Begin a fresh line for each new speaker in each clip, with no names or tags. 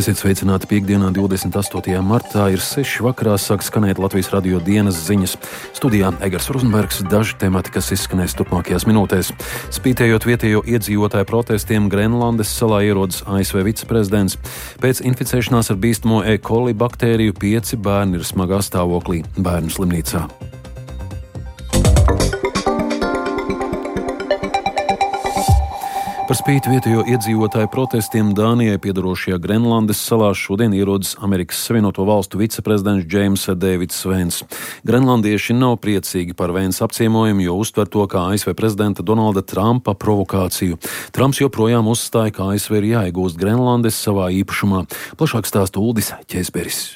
Esiet sveicināti piekdienā, 28. martā, ir 6 vakarā, sāk skanēt Latvijas radio dienas ziņas. Studijā Egars Rozenbergs, daži temati, kas izskanēs turpmākajās minūtēs. Spītējot vietējo iedzīvotāju protestiem, Grenlandes salā ierodas ASV viceprezidents. Pēc inficēšanās ar bīstamo E. coli baktēriju 5 bērni ir smagā stāvoklī bērnu slimnīcā. Par spīti vietējo iedzīvotāju protestiem Dānijai piedarošajā Grenlandes salā šodien ierodas Amerikas Savienoto Valstu viceprezidents Džeims Deivids Vens. Grenlandieši nav priecīgi par Vensa apciemojumu, jo uztver to kā ASV prezidenta Donalda Trumpa provokāciju. Trumps joprojām uzstāja, ka ASV ir jāiegūst Grenlandes savā īpašumā. Plašāk stāsta Uldis Ķēzberis.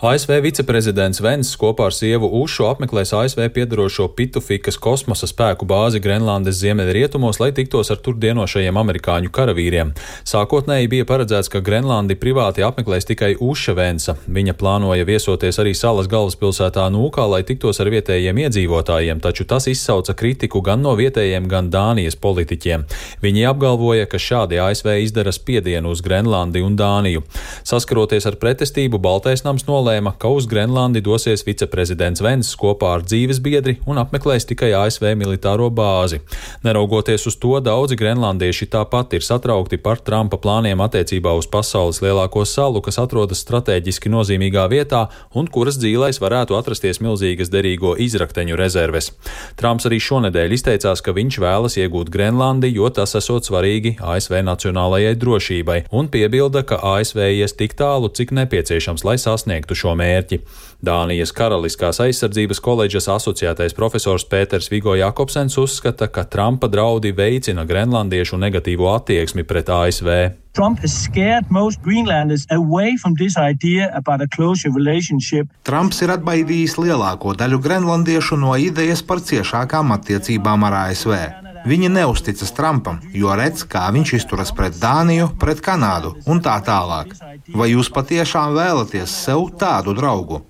ASV viceprezidents Vens kopā ar sievu Ušu apmeklēs ASV piedarošo Pitufikas kosmosa spēku bāzi Grenlandes ziemeļrietumos, lai tiktos ar tur dienošajiem amerikāņu karavīriem. Sākotnēji bija paredzēts, ka Grenlandi privāti apmeklēs tikai Uša Vensa. Viņa plānoja viesoties arī salas galvaspilsētā Nūkā, lai tiktos ar vietējiem iedzīvotājiem, taču tas izsauca kritiku gan no vietējiem, gan Dānijas politiķiem. Viņi apgalvoja, ka šādi ASV izdara spiedienu uz Grenlandi un Dāniju. Saskaroties ar pretestību, Baltais nams nolēma, ka uz Grenlandi dosies viceprezidents Vens kopā ar dzīves biedri un apmeklēs tikai ASV militāro bāzi. Neraugoties uz to, daudzi grenlandieši tāpat ir satraukti par Trumpa plāniem attiecībā uz pasaules lielāko salu, kas atrodas strateģiski nozīmīgā vietā un kuras dzīlēs varētu atrasties milzīgas derīgo izrakteņu rezerves. Trumps arī šonedēļ izteicās, ka viņš vēlas iegūt Grenlandi, jo tas esot svarīgi ASV nacionālajai drošībai, un piebilda, ka ASV ies tik tālu, cik nepieciešams, lai sasniegtu šo mērķi. Dānijas Karaliskās aizsardzības koledžas asociētais profesors Pēters Vigo Jakobsens uzskata, ka Trumpa draudi veicina grenlandiešu negatīvo attieksmi pret ASV.
Trump has scared most Greenlanders away from this idea about a closer relationship.
Trumps ir atbaidījis lielāko daļu grenlandiešu no idejas par ciešākām attiecībām ar ASV. Viņi neusticas Trumpam, jo redz, kā viņš izturas pret Dāniju, pret Kanādu un tā tālāk. Vai jūs patiešām vēlaties sev tādu draugu?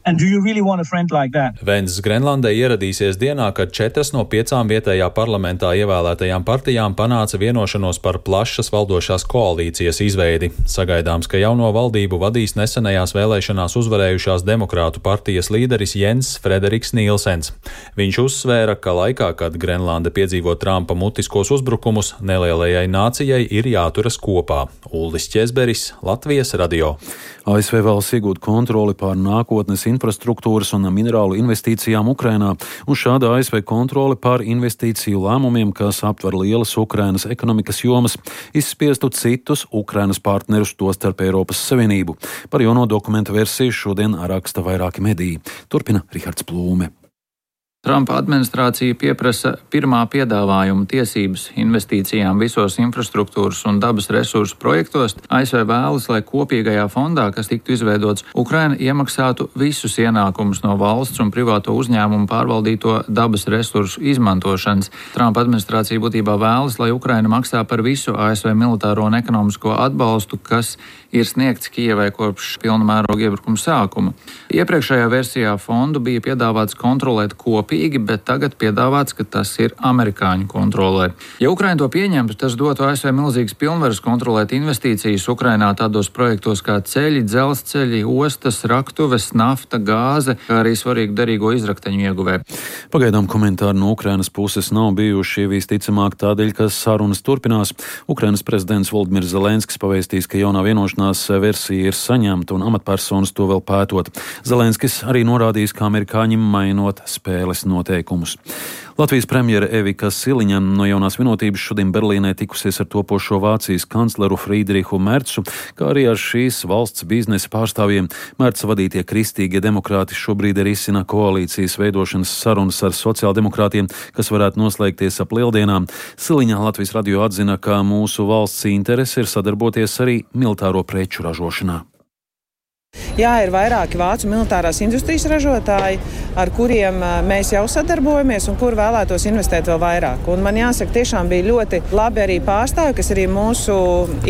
Vens Grenlandē ieradīsies dienā, kad 4 no 5 vietējā parlamentā ievēlētajām partijām panāca vienošanos par plašas valdošās koalīcijas izveidi. Sagaidāms, ka jauno valdību vadīs nesenajās vēlēšanās uzvarējušās demokrātu partijas līderis Jens Frederiks Nīlsens. Viņš uzsvēra, ka laikā, kad Grenlande piedzīvo Trumpa mutiskos uzbrukumus, nelielajai nācijai ir jāturas kopā. Uldis Ķēzberis, Latvijas radio.
ASV vēlas iegūt kontroli pār nākotnes infrastruktūras un minerālu investīcijām Ukrainā, un šāda ASV kontrole pār investīciju lēmumiem, kas aptver lielas Ukrainas ekonomikas jomas, izspiestu citus Ukrainas partnerus, tostarp Eiropas Savienību. Par jauno dokumentu versiju šodien raksta vairāki mediji. Turpina Rihards Plūme.
Trumpa administrācija pieprasa pirmā piedāvājuma tiesības investīcijām visos infrastruktūras un dabas resursu projektos. ASV vēlas, lai kopīgajā fondā, kas tiktu izveidots, Ukraina iemaksātu visus ienākumus no valsts un privāto uzņēmumu pārvaldīto dabas resursu izmantošanas. Trumpa administrācija būtībā vēlas, lai Ukraina maksā par visu ASV militāro un ekonomisko atbalstu, kas ir sniegts Kijevai kopš pilna mēroga iebrukuma sākuma. Iepriekšējā versijā fondu bija piedāvāts kontrolēt kopīgi, bet tagad piedāvāts, ka tas ir amerikāņu kontrolē. Ja Ukraina to pieņemtu, tas dotu ASV milzīgas pilnvaras kontrolēt investīcijas Ukrainā tādos projektos kā ceļi, dzelzceļi, ostas, raktuves, nafta, gāze, kā arī svarīgu derīgo izrakteņu ieguvē.
Pagaidām komentāri no Ukrainas puses nav bijuši, visticamāk tādēļ, ka sarunas turpinās. Ukrainas prezidents Volodimirs Zelenskis pavēstīs, ka jaunā vienošanās versija ir saņemta un amatpersonas to vēl pētot. Zelenskis arī norādījis, ka amerikāņi mainot spēles noteikumus. Latvijas premjere Evika Siliņa no jaunās vienotības šodien Berlīnē tikusies ar topošo Vācijas kancleru Friedrihu Mercu, kā arī ar šīs valsts biznesa pārstāvjiem. Merca vadītie kristīgie demokrāti šobrīd risina koalīcijas veidošanas sarunas ar sociāldemokrātiem, kas varētu noslēgties ap lieldienām. Siliņa Latvijas radio atzina, ka mūsu valsts interese ir sadarboties arī militāro preču ražošanā.
Jā, ir vairāki vācu militārās industrijas ražotāji, ar kuriem mēs jau sadarbojamies un kur vēlētos investēt vēl vairāk. Un man jāsaka, tiešām bija ļoti labi arī pārstāvi, kas arī mūsu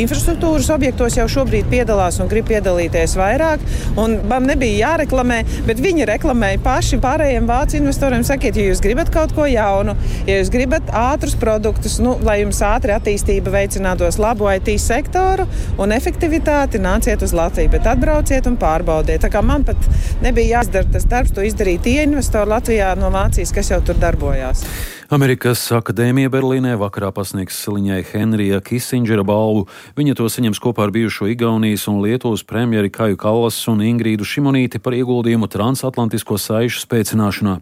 infrastruktūras objektos jau šobrīd piedalās un grib piedalīties vairāk. Un man nebija jāreklamē, bet viņi reklamēja paši pārējiem vācu investoriem. Sakiet, ja jūs gribat kaut ko jaunu, ja jūs gribat ātrus produktus, lai jums ātri attīstība veicinātos labu IT sektoru un efektivitāti, nāciet uz Latviju, bet atbrauciet un pārbaudiet. Tā kā man pat nebija jāizdara tas darbs, to izdarīja tie investori Latvijā no Vācijas, kas jau tur darbojās.
Amerikas akadēmija Berlīnē vakarā pasniegs Liņai Henrija Kisindžera balvu. Viņa to saņems kopā ar bijušo Igaunijas un Lietuvas premjeri Kaju Kallasu un Ingrīdu Šimonīti par ieguldījumu transatlantisko saišu spēcināšanā.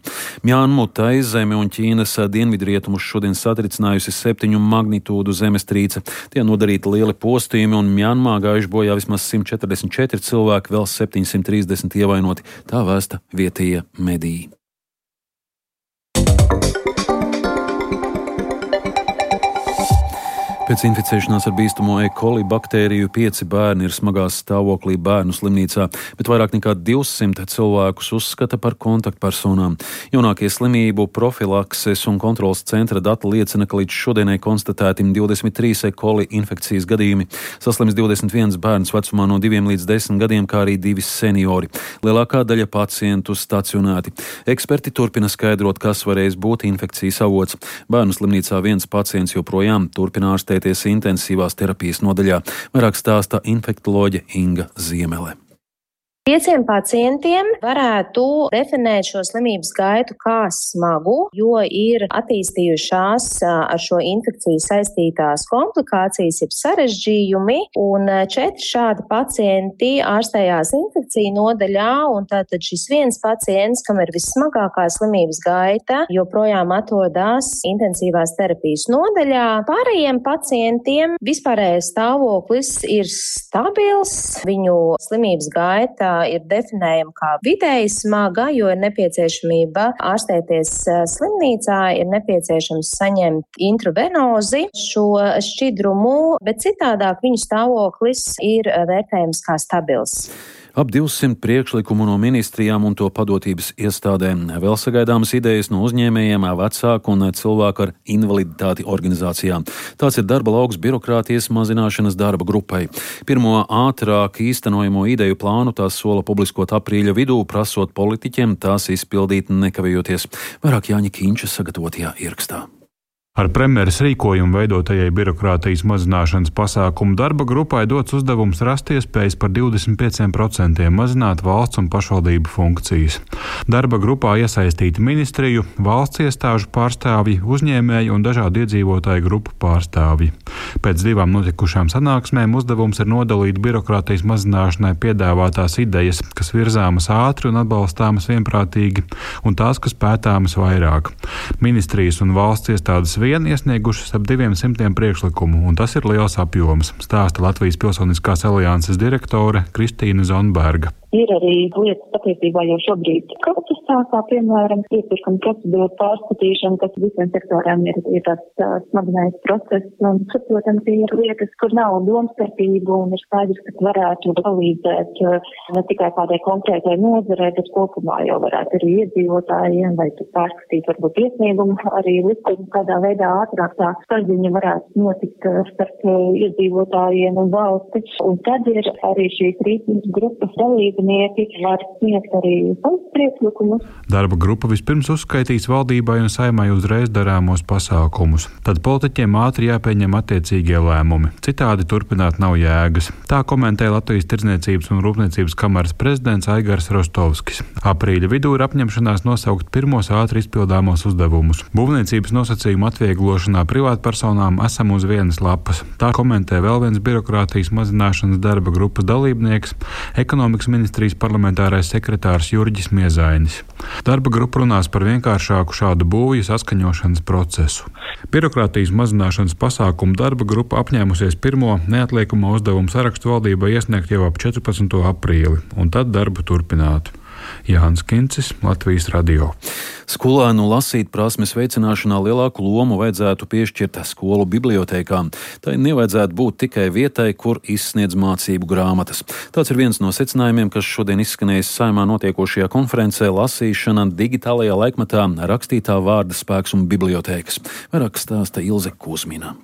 Mjanmu, Taizemi un Ķīnas dienvidrietumus šodien satricinājusi 7 magnitūdu zemestrīce. Tie nodarīti lieli postījumi un Mjanmā gājuši bojā vismaz 144 cilvēki, vēl 730 ievainoti. Tā vēsta vietējie mediji. Pēc inficēšanās ar bīstamo E. coli baktēriju 5 bērni ir smagā stāvoklī bērnu slimnīcā, bet vairāk nekā 200 cilvēkus uzskata par kontaktpersonām. Jaunākie slimību profilakses un kontrolas centra dati liecina, ka līdz šodienai konstatēti 23 E. coli infekcijas gadījumi. Saslims 21 bērns vecumā no 2 līdz 10 gadiem, kā arī 2 seniori. Lielākā daļa pacientu stacionēti. Eksperti turpina skaidrot, kas varēs būt infekcijas avots. Bērnu slimnīcā viens pacients joprojām turpina ārstēties intensīvās terapijas nodaļā. Vairāk stāsta infektoloģe Inga Ziemele.
5 pacientiem varētu definēt šo slimības gaitu kā smagu, jo ir attīstījušās ar šo infekciju saistītās komplikācijas, jeb sarežģījumi, un 4 šādi pacienti ārstējās infekciju nodaļā, un tātad šis viens pacients, kam ir vissmagākā slimības gaita, joprojām atrodas intensīvās terapijas nodaļā. Pārējiem pacientiem vispārējais stāvoklis ir stabils, viņu slimības gaita ir definējama kā vidēji smaga, jo ir nepieciešamība ārstēties slimnīcā, ir nepieciešams saņemt intravenozi šo šķidrumu, bet citādāk viņu stāvoklis ir vērtējams kā stabils.
Ap 200 priekšlikumu no ministrijām un to padotības iestādēm. Vēl sagaidāmas idejas no uzņēmējiem, vecāku un cilvēku ar invaliditāti organizācijām. Tāds ir darba lauks birokrātijas mazināšanas darba grupai. Pirmo ātrāk īstenojamo ideju plānu tās sola publiskot aprīļa vidū, prasot politiķiem tās izpildīt nekavējoties. Vairāk Jāņa Kīņša sagatavotajā ierakstā.
Ar premjeras rīkojumu veidotajai birokrātijas mazināšanas pasākumu darba grupai dots uzdevums rast iespējas par 25% mazināt valsts un pašvaldību funkcijas. Darba grupā iesaistīti ministriju, valsts iestāžu pārstāvji, uzņēmēji un dažādu iedzīvotāju grupu pārstāvji. Pēc 2 notikušām sanāksmēm uzdevums ir nodalīt birokrātijas mazināšanai piedāvātās idejas, kas virzāmas ātri un atbalstāmas vienprātīgi, un tās, kas pētāmas vairāk. Ministrijas un valsts iestādes vien iesniegušas ap 200 priekšlikumu, un tas ir liels apjoms, stāsta Latvijas Pilsoniskās alianses direktore Kristīna Zonberga.
Ir arī lietas patiesībā jau šobrīd procesā, kā piemēram iepirkuma procedūra pārskatīšana, kas visiem sektoriem ir tāds smagnējs process. Un, protams, ir lietas, kur nav domstarpību un ir skaidrs, ka varētu palīdzēt ne tikai kādai konkrētai nozarei, bet kopumā jau varētu arī iedzīvotājiem vai pārskatīt varbūt iesniegumu, arī likumu kādā veidā ātrāk tā saziņa varētu notikt starp iedzīvotājiem un valsti. Un tad ir arī šīs rīcības grupas dalība. Var sniegt arī priekšlikumus.
Darba grupa vispirms uzskaitīs valdībai un saimai uzreiz darāmos pasākumus. Tad politiķiem ātri jāpieņem attiecīgie lēmumi. Citādi turpināt nav jēgas. Tā komentē Latvijas Tirdzniecības un Rūpniecības kameras prezidents Aigars Rostovskis. Aprīļa vidū ir apņemšanās nosaukt pirmos ātri izpildāmos uzdevumus. Būvniecības nosacījumu atvieglošanā privātpersonām esam uz vienas lapas. Tā komentē vēl viens birokrātijas mazināšanas darba grupas dalībnieks, ekonomikas ministrs parlamentārais sekretārs Jurģis Miezainis. Darba grupa runās par vienkāršāku šādu būvju saskaņošanas procesu. Birokrātijas mazināšanas pasākumu darba grupa apņēmusies pirmo neatliekamo uzdevumu sarakstu valdībai iesniegt jau ap 14. aprīli, un tad darbu turpināt. Jānis Kincis, Latvijas radio.
Skolēnu lasīt prasmes veicināšanā lielāku lomu vajadzētu piešķirt skolu bibliotēkām. Tai nevajadzētu būt tikai vietai, kur izsniedz mācību grāmatas. Tāds ir viens no secinājumiem, kas šodien izskanējis Saeimā notiekošajā konferencē Lasīšana digitālajā laikmatā, rakstītā vārda spēks un bibliotēkas. Vairāk stāsta Ilze Kuzmina.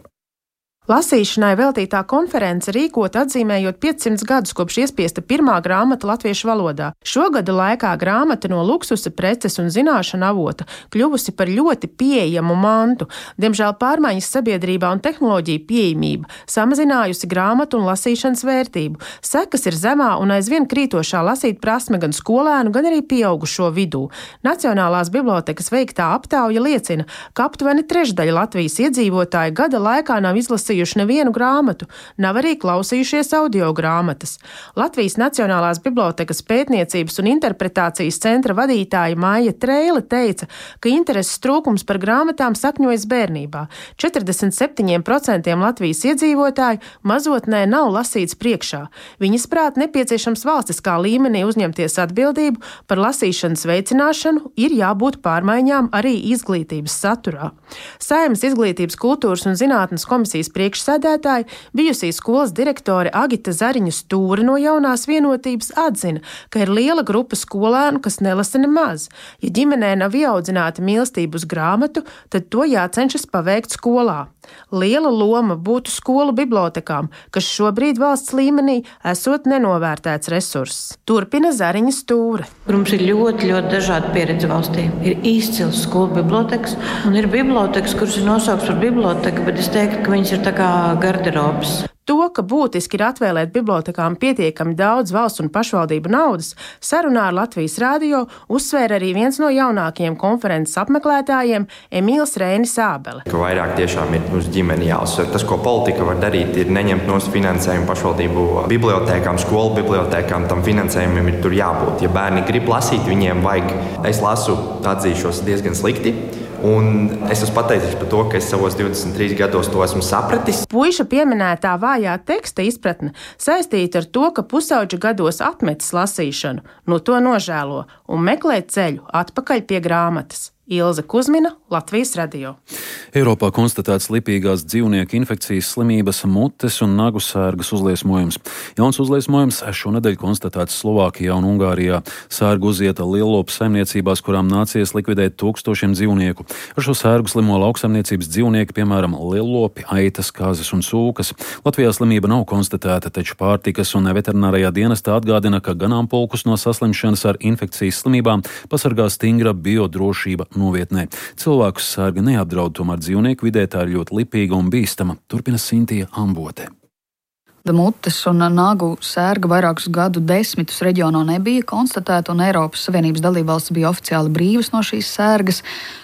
Lasīšanai veltītā konference rīkota atzīmējot 500 gadus kopš iespiesta pirmā grāmata latviešu valodā. Šogada laikā grāmata no luksusa preces un zināšanu avota kļuvusi par ļoti pieejamu mantu. Diemžēl pārmaiņas sabiedrībā un tehnoloģija pieejamība samazinājusi grāmatu un lasīšanas vērtību. Sekas ir zemā un aizvien krītošā lasīt prasme gan skolēnu, gan arī pieaugušo vidū. Nacionālās bibliotekas veiktā aptauja liecina, ka aptuveni trešdaļa Latvijas iedzīvotāji gada laikā nav izlasījuši nevienu grāmatu, nav arī klausījušies audio grāmatas. Latvijas Nacionālās bibliotekas pētniecības un interpretācijas centra vadītāja Maija Treile teica, ka intereses trūkums par grāmatām sakņojas bērnībā. 47% Latvijas iedzīvotāju mazotnē nav lasīts priekšā. Viņas prāt nepieciešams valstiskā līmenī uzņemties atbildību par lasīšanas veicināšanu, ir jābūt pārmaiņām arī izglītības saturā. Saeimas izglītības, kultūras un zinātnes komisijas priekšsēdētāja, bijusī skolas direktore Agita Zariņa Stūre no Jaunās vienotības atzina, ka ir liela grupa skolēnu, kas nelasa nemaz. Ja ģimenē nav ieaudzināta mīlestība uz grāmatu, tad to jācenšas paveikt skolā. Liela loma būtu skolu bibliotekām, kas šobrīd valsts līmenī esot nenovērtēts resurss. Turpina Zariņa Stūre.
Mums ir ļoti dažāda pieredze valstī. Ir izcils skolu bibliotekas un ir bibliotekas, kuras ir nosaukts par biblioteku, bet es teiktu, ka viņas ir tā kā garderobas.
To, ka būtiski ir atvēlēt bibliotekām pietiekami daudz valsts un pašvaldību naudas, sarunā ar Latvijas radio uzsvēra arī viens no jaunākajiem konferences apmeklētājiem Emīls Rēnis Ābele.
Ka vairāk tiešām ir uz ģimeni jāuzsver. Tas, ko politika var darīt, ir neņemt no finansējumu pašvaldību bibliotēkām, skolu bibliotēkām, tam finansējumam ir tur jābūt. Ja bērni grib lasīt, viņiem vajag. Es lasu, atzīšos, diezgan slikti. Un es esmu pateicis par to, ka es savos 23 gados to esmu sapratis.
Puiša pieminētā vājā teksta izpratne saistīta ar to, ka pusauģa gados atmetis lasīšanu, no to nožēlo un meklē ceļu atpakaļ pie grāmatas. Ilze Kuzmina, Latvijas radio.
Eiropā konstatēts lipīgās dzīvnieku infekcijas slimības mutes un nagu sērgas uzliesmojums. Jauns uzliesmojums šonedēļ konstatēts Slovākijā un Ungārijā. Sērgu uzieta lielopu saimniecībās, kurām nācies likvidēt tūkstošiem dzīvnieku. Ar šo sērgu slimo lauksaimniecības dzīvnieki, piemēram, lielopi, aitas, kazas un sūkas. Latvijā slimība nav konstatēta, taču pārtikas un veterinārajā dienestā atgādina, ka ganāmpulkus no saslimšanas ar infekcijas slimībām pasargā stingra biodrošība novietnē. Cilvēkus sērga neapdraud, tomēr dzīvnieku vidē tā ir ļoti lipīga un bīstama. Turpina Sintija Ambote.
Mutes un nagu sērga vairākus gadu desmitus reģionā nebija konstatēta, un Eiropas Savienības dalībvalstis bija oficiāli brīvas no šīs sērgas.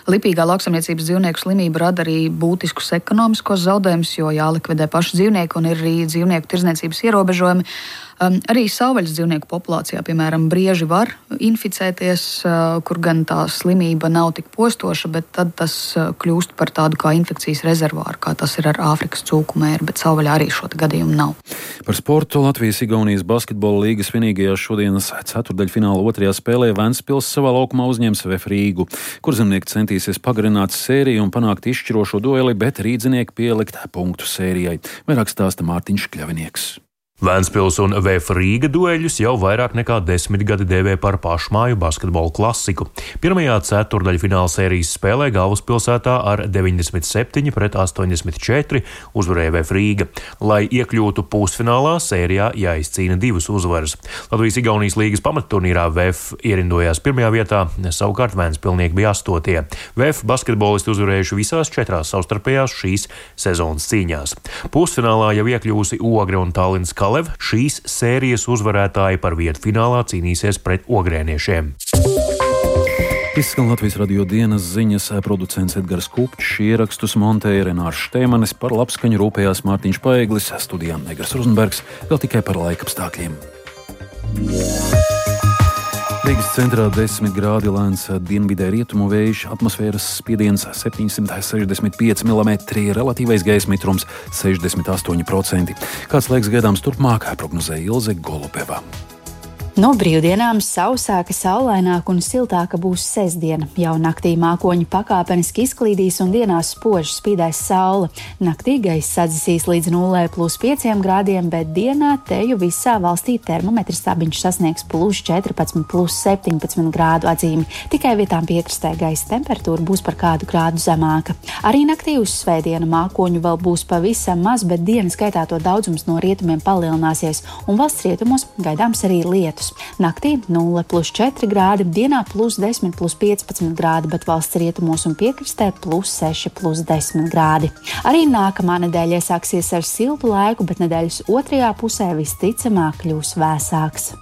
Lipīgā lauksaimniecības dzīvnieku slimība rada arī būtiskus ekonomiskos zaudējumus, jo jālikvidē paši dzīvnieki un ir arī dzīvnieku tirdzniecības ierobežojumi. Arī savvaļas dzīvnieku populācijā, piemēram, brieži var inficēties, kur gan tā slimība nav tik postoša, bet tad tas kļūst par tādu kā infekcijas rezervāru, kā tas ir ar Āfrikas cūkumēru, bet savvaļā arī šo gadījumu nav.
Par sportu Latvijas-Igaunijas basketbola līgas vienīgajā šodienas ceturtdaļfināla otrajā spēlē Ventspils savā laukumā uzņems VF Rīgu, kur zemnieki centīsies pagarināt sēriju un panākt izšķirošo dueli, bet rīdzinieki pielikt punktu sērijai. Vairāk stāsta Mārtiņš Kļavinieks.
Ventspils un VF Rīga dueļus jau vairāk nekā 10 gadi dēvē par pašmāju basketbola klasiku. Pirmajā ceturdaļfināla sērijas spēlē galvaspilsētā ar 97-84 uzvarēja VF Rīga. Lai iekļūtu pusfinālā, sērijā jāizcīna 2 uzvaras. Latvijas-Igaunijas līgas pamatturnīrā VF ierindojās 1. vietā, savukārt Ventspilnieki bija 8. VF basketbolisti uzvarējuši visās 4 savstarpējās šīs sezonas cīņās. Pusfinālā jau iekļūsi Ogre un Tallinas Kalev. Šīs sērijas uzvarētāji par vietu finālā cīnīsies pret ogrēniešiem.
Izskan Latvijas radio dienas ziņas, producents Edgars Kupčs, ierakstus montēja Renārs Šteimanis, par labskaņu rūpējās Mārtiņš Paeglis, studijā Negras Rozenbergs, vēl tikai par laikapstākļiem. Rīgas centrā 10 grādi, lēns dienvidē rietumu vējš, atmosfēras spiediens 765 mm, relatīvais gaisa mitrums 68%. Kāds laiks gaidāms turpmāk, prognozēja Ilze Golubeva.
No brīvdienām sausāka, saulaināka un siltāka būs sestdiena. Jau naktī mākoņi pakāpeniski izklīdīs un dienās spoži spīdēs saule. Naktī gaiss sadzisīs līdz 0,5 grādiem, bet dienā teju visā valstī termometrs stabiņš sasniegs +14, +17 grādu atzīmi. Tikai vietām piekrastē gaisa temperatūra būs par kādu grādu zemāka. Arī naktī uz svētdienu mākoņu vēl būs pavisam maz, bet dienas gaitā to daudzums no rietumiem palielināsies un valsts rietumos gaidāms arī lietus. Naktī 0,4 grādi, dienā +10, +15 grādi, bet valsts rietumos un piekrastē +6, +10 grādi. Arī nākamā nedēļa iesāksies ar siltu laiku, bet nedēļas otrajā pusē visticamāk kļūs vēsāks.